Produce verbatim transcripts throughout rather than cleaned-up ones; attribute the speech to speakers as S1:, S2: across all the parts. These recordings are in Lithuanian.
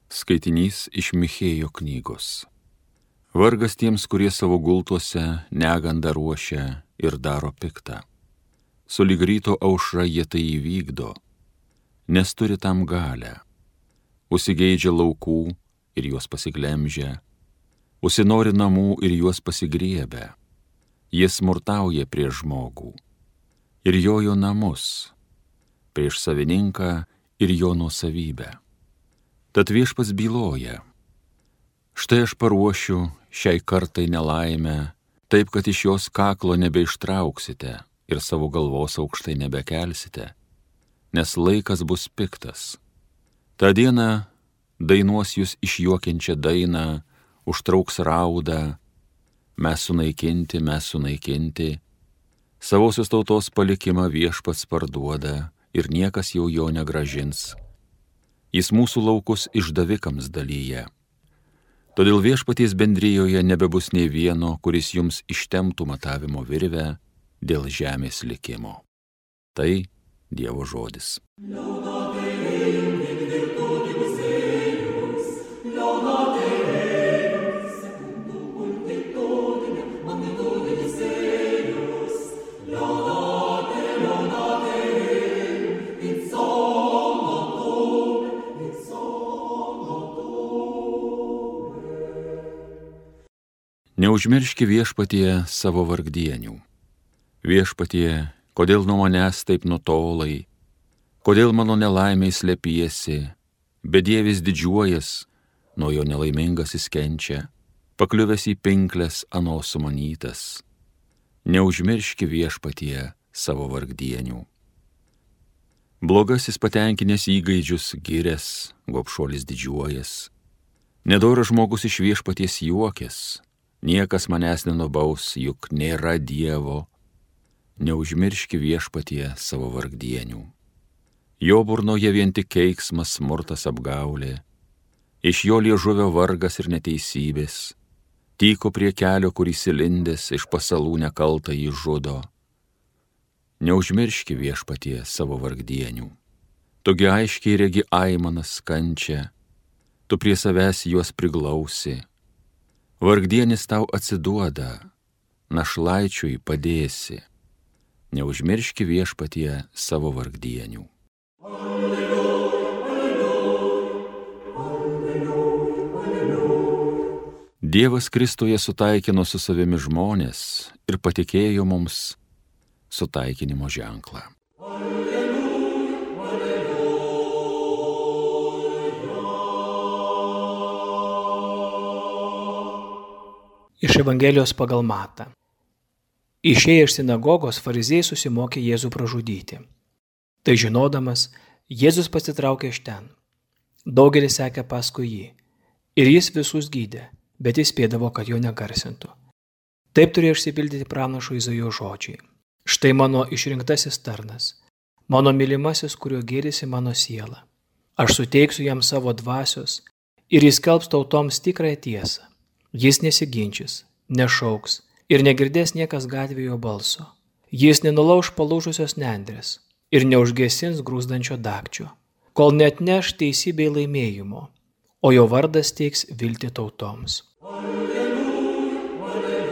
S1: Skaitinys iš Michėjo knygos. Vargas tiems, kurie savo gultuose negandą ruošia ir daro piktą. Sulig ryto aušra jie tai įvykdo, nes turi tam galę. Užsigeidžia laukų ir juos pasiglemžia, užsinori namų ir juos pasigriebia. Jie smurtauja prieš žmogų ir jojo namus, prieš savininką ir jo nuosavybę. Tad viešpats byloja: štai aš paruošiu šiai kartai nelaimę, taip, kad iš jos kaklo nebeištrauksite ir savo galvos aukštai nebekelsite, nes laikas bus piktas. Ta diena dainuos jūs išjuokiančią dainą, užtrauks raudą: mes sunaikinti, mes sunaikinti. Savosios tautos palikimą viešpats parduoda ir niekas jau jo negrąžins. Jis mūsų laukus išdavikams dalyja. Todėl viešpaties bendrijoje nebebus nei vieno, kuris jums ištemptų matavimo virvę dėl žemės likimo. Tai Dievo žodis. Neužmirški viešpatie savo vargdienių. Viešpatie, kodėl nuo manęs taip nutolai, kodėl mano nelaimiai slepiesi, bedievis didžiuojas, nuo jo nelaimingasis kenčia, pakliuvęs į pinkles ano sumanytas. Neužmirški viešpatie savo vargdienių. Blogasis patenkinęs įgaidžius girias, gobšuolis didžiuojas. Nedoras žmogus iš viešpaties juokės. Niekas manęs nenubaus, juk nėra Dievo. Neužmirški viešpatie savo vargdienių. Jo burnoje vien tik keiksmas, smurtas, apgaulė. Iš jo liežuvio vargas ir neteisybės. Tyko prie kelio, kur įsilindęs, iš pasalų nekaltą jį žudo. Neužmirški viešpatie savo vargdienių. Tugi aiškiai regi aimanas kančią, tu prie savęs juos priglausi. Vargdienis tau atsiduoda, našlaičiui padėsi. Neužmirški viešpatie savo vargdienių. Alleluja, alleluja, alleluja. Dievas Kristuje sutaikino su savimi žmonės ir patikėjo mums sutaikinimo ženklą.
S2: Iš Evangelijos pagal Matą. Išėję iš sinagogos, fariziejai susimokė Jėzų pražudyti. Tai žinodamas, Jėzus pasitraukė iš ten. Daugelis sekė paskui jį. Ir jis visus gydė, bet jis spėdavo, kad jo negarsintų. Taip turėjo išsipildyti pranašo Izaijo žodžiai. Štai mano išrinktasis tarnas, mano mylimasis, kuriuo gėrisi mano siela. Aš suteiksiu jam savo dvasios ir jis skelbs tautoms tikrąją tiesą. Jis nesiginčys, nešauks ir negirdės niekas gatvėje jo balso. Jis nenulauš palūžusios nendrės ir neužgesins grūzdančio dagčio, kol neatneš teisybei laimėjimo, o jo vardas teiks viltį tautoms. Alleluja, alleluja.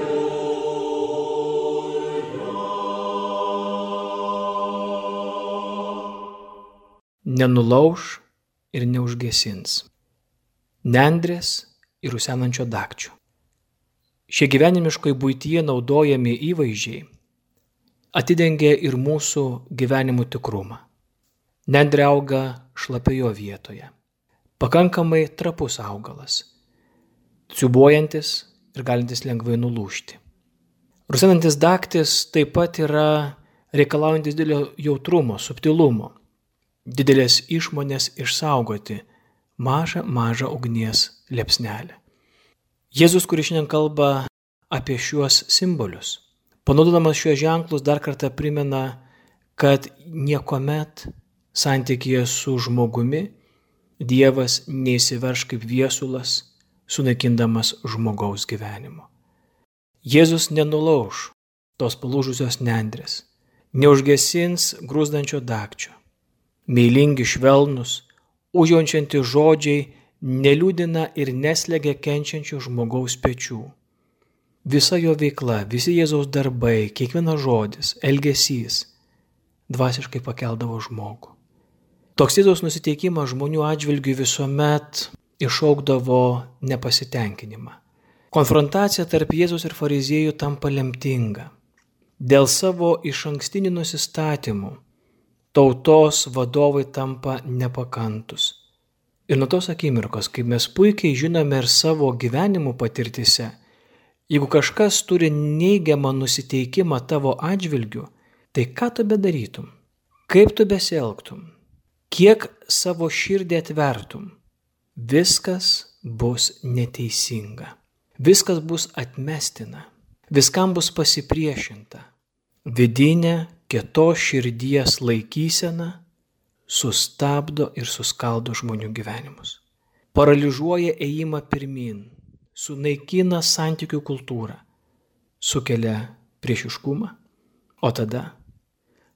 S2: Nenulauš ir neužgesins. Nendrės ir rusenančio dagčio. Šie gyvenimiškai buityje naudojami įvaizdžiai atidengia ir mūsų gyvenimų tikrumą. Nendrė auga šlapioje vietoje. Pakankamai trapus augalas, ciubuojantis ir galintis lengvai nulūžti. Rusenantis dagtis taip pat yra reikalaujantis didelio jautrumo, subtilumo, didelės išmonės išsaugoti mažą, mažą ugnies liepsnelę. Jėzus, kuris šiandien kalba apie šiuos simbolius, panaudodamas šiuos ženklus, dar kartą primena, kad niekuomet santykyje su žmogumi Dievas neįsiverš kaip viesulas, sunaikindamas žmogaus gyvenimo. Jėzus nenulauš tos palūžusios nendrės, neužgesins grūzdančio dagčio. Meilingi, švelnus, užjaučiantys žodžiai neliūdina ir neslegia kenčiančio žmogaus pečių. Visa jo veikla, visi Jėzaus darbai, kiekvienas žodis, elgesys dvasiškai pakeldavo žmogų. Toks Jėzaus nusiteikimas žmonių atžvilgių visuomet išaukdavo nepasitenkinimą. Konfrontacija tarp Jėzaus ir fariziejų tampa lemtinga. Dėl savo išankstinių nusistatymų tautos vadovai tampa nepakantus. Ir nuo tos akimirkos, kaip mes puikiai žinome ir savo gyvenimų patirtise, jeigu kažkas turi neigiamą nusiteikimą tavo atžvilgiu, tai ką tu bedarytum? Kaip tu besielgtum? Kiek savo širdį atvertum? Viskas bus neteisinga. Viskas bus atmestina. Viskam bus pasipriešinta. Vidinė kietos širdies laikysena sustabdo ir suskaldo žmonių gyvenimus. Paralyžuoja ėjimą pirmin, sunaikina santykių kultūrą, sukelia priešiškumą, o tada,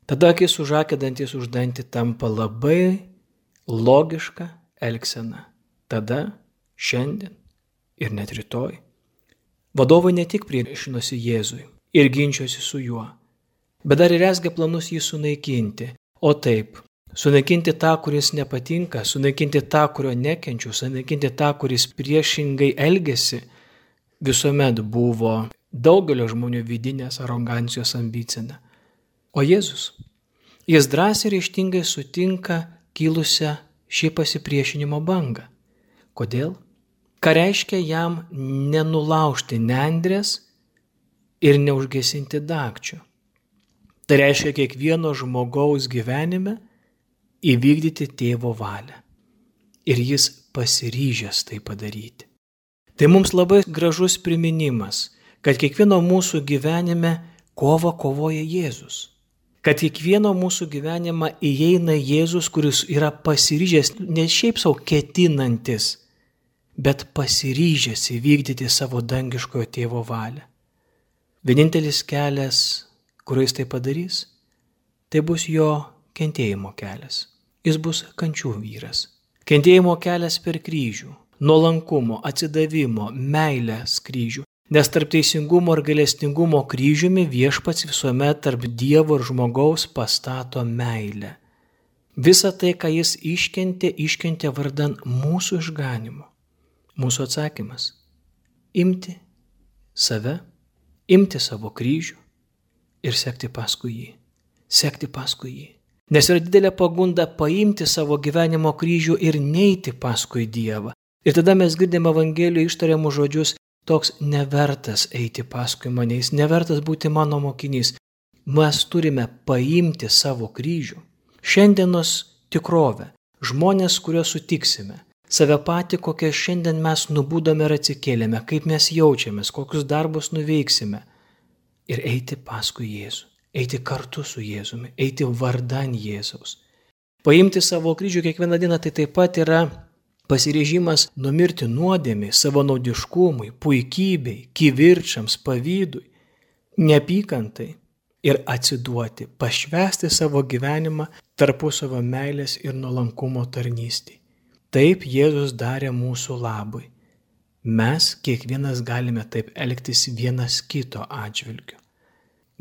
S2: tada akis už akį, dantis už dantį tampa labai logiška elgsena. Tada, šiandien ir net rytoj. Vadovai ne tik priešinosi Jėzui ir ginčiosi su juo, bet dar ir rezgė planus jį sunaikinti, o taip, sunaikinti tą, kuris nepatinka, sunaikinti tą, kurio nekenčiu, sunaikinti tą, kuris priešingai elgesi, visuomet buvo daugelio žmonių vidinės arogancijos ambicija. O Jėzus, jis drąsiai ir ryžtingai sutinka kilusią šį pasipriešinimo bangą. Kodėl? Ką reiškia jam nenulaužti nendrės ir neužgesinti dagčių? Tai reiškia kiekvieno žmogaus gyvenime įvykdyti tėvo valią. Ir jis pasiryžęs tai padaryti. Tai mums labai gražus priminimas, kad kiekvieno mūsų gyvenime kovą kovoja Jėzus. Kad kiekvieno mūsų gyvenimą įeina Jėzus, kuris yra pasiryžęs, ne šiaip savo ketinantis, bet pasiryžęs įvykdyti savo dangiškojo tėvo valią. Vienintelis kelias, kuriuo jis tai padarys, tai bus jo kentėjimo kelias. Jis bus kančių vyras. Kentėjimo kelias per kryžių, nuolankumo, atsidavimo, meilės kryžių. Nes tarp teisingumo ir gailestingumo kryžiumi viešpats visuomet tarp Dievo ir žmogaus pastato meilę. Visa tai, ką jis iškentė, iškentė vardan mūsų išganimo. Mūsų atsakymas – imti save, imti savo kryžių ir sekti paskui jį. Sekti paskui jį. Nes yra didelė pagunda paimti savo gyvenimo kryžių ir neiti paskui Dievą. Ir tada mes girdime Evangelijoje ištariamus žodžius: toks nevertas eiti paskui mane, jis nevertas būti mano mokinys. Mes turime paimti savo kryžių. Šiandienos tikrovę, žmonės, kuriuos sutiksime, save patį, kokią šiandien mes nubudome ir atsikėlėme, kaip mes jaučiamės, kokius darbus nuveiksime. Ir eiti paskui Jėzų, eiti kartu su Jėzumi, eiti vardan Jėzaus. Paimti savo kryžių kiekvieną dieną tai taip pat yra pasiryžimas numirti nuodėmei, savanaudiškumui, puikybei, kivirčams, pavydui, neapykantai ir atsiduoti, pašvęsti savo gyvenimą tarpusavio meilės ir nuolankumo tarnystei. Taip Jėzus darė mūsų labui. Mes kiekvienas galime taip elgtis vienas kito atžvilgiu.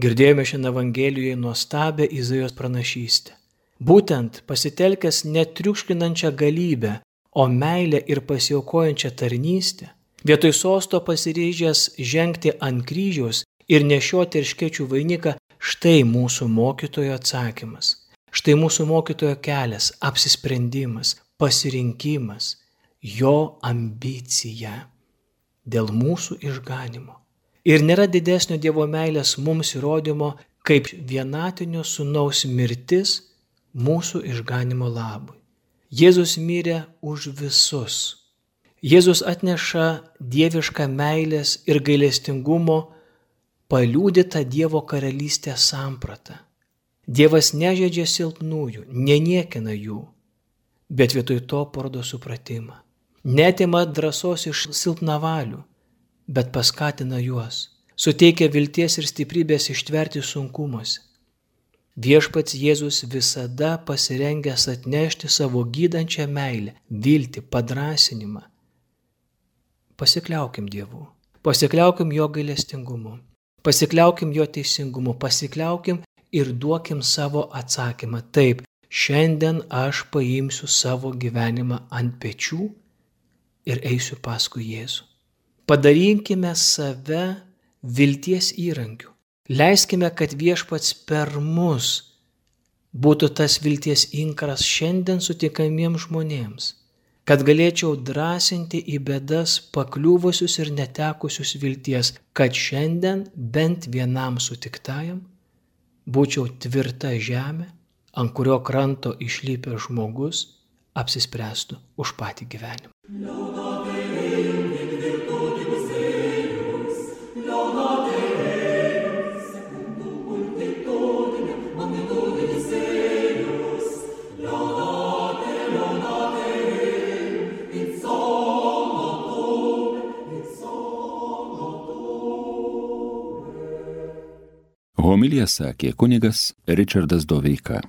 S2: Girdėjome šiandien Evangelijoje nuostabią Izaijos pranašystę. Būtent pasitelkęs netriukškinančią galybę, o meilę ir pasiaukojančią tarnystę, vietoj sosto pasiryžęs žengti ant kryžiaus ir nešioti erškėčių vainiką, štai mūsų mokytojo atsakymas, štai mūsų mokytojo kelias, apsisprendimas, pasirinkimas, jo ambicija dėl mūsų išganimo. Ir nėra didesnio Dievo meilės mums įrodymo, kaip vienatinio sūnaus mirtis mūsų išganimo labui. Jėzus mirė už visus. Jėzus atneša dievišką meilės ir gailestingumo paliudytą Dievo karalystės sampratą. Dievas nežeidžia silpnųjų, neniekina jų, bet vietoj to parodo supratimą. Neatima drąsos iš silpnavalių, bet paskatina juos, suteikia vilties ir stiprybės ištverti sunkumuose. Viešpats Jėzus visada pasirengęs atnešti savo gydančią meilę, viltį, padrasinimą. Pasikliaukim Dievu, pasikliaukim jo gailestingumu, pasikliaukim jo teisingumu, pasikliaukim ir duokim savo atsakymą. Taip, šiandien aš paimsiu savo gyvenimą ant pečių ir eisiu paskui Jėzų. Padarykime save vilties įrankiu. Leiskime, kad Viešpats per mus būtų tas vilties inkaras šiandien sutikamiems žmonėms, kad galėčiau drąsinti į bėdas pakliuvusius ir netekusius vilties, kad šiandien bent vienam sutiktajam būčiau tvirta žemė, ant kurio kranto išlipęs žmogus apsispręstų už patį gyvenimą.
S1: Homiliją sakė kunigas Ričardas Doveika.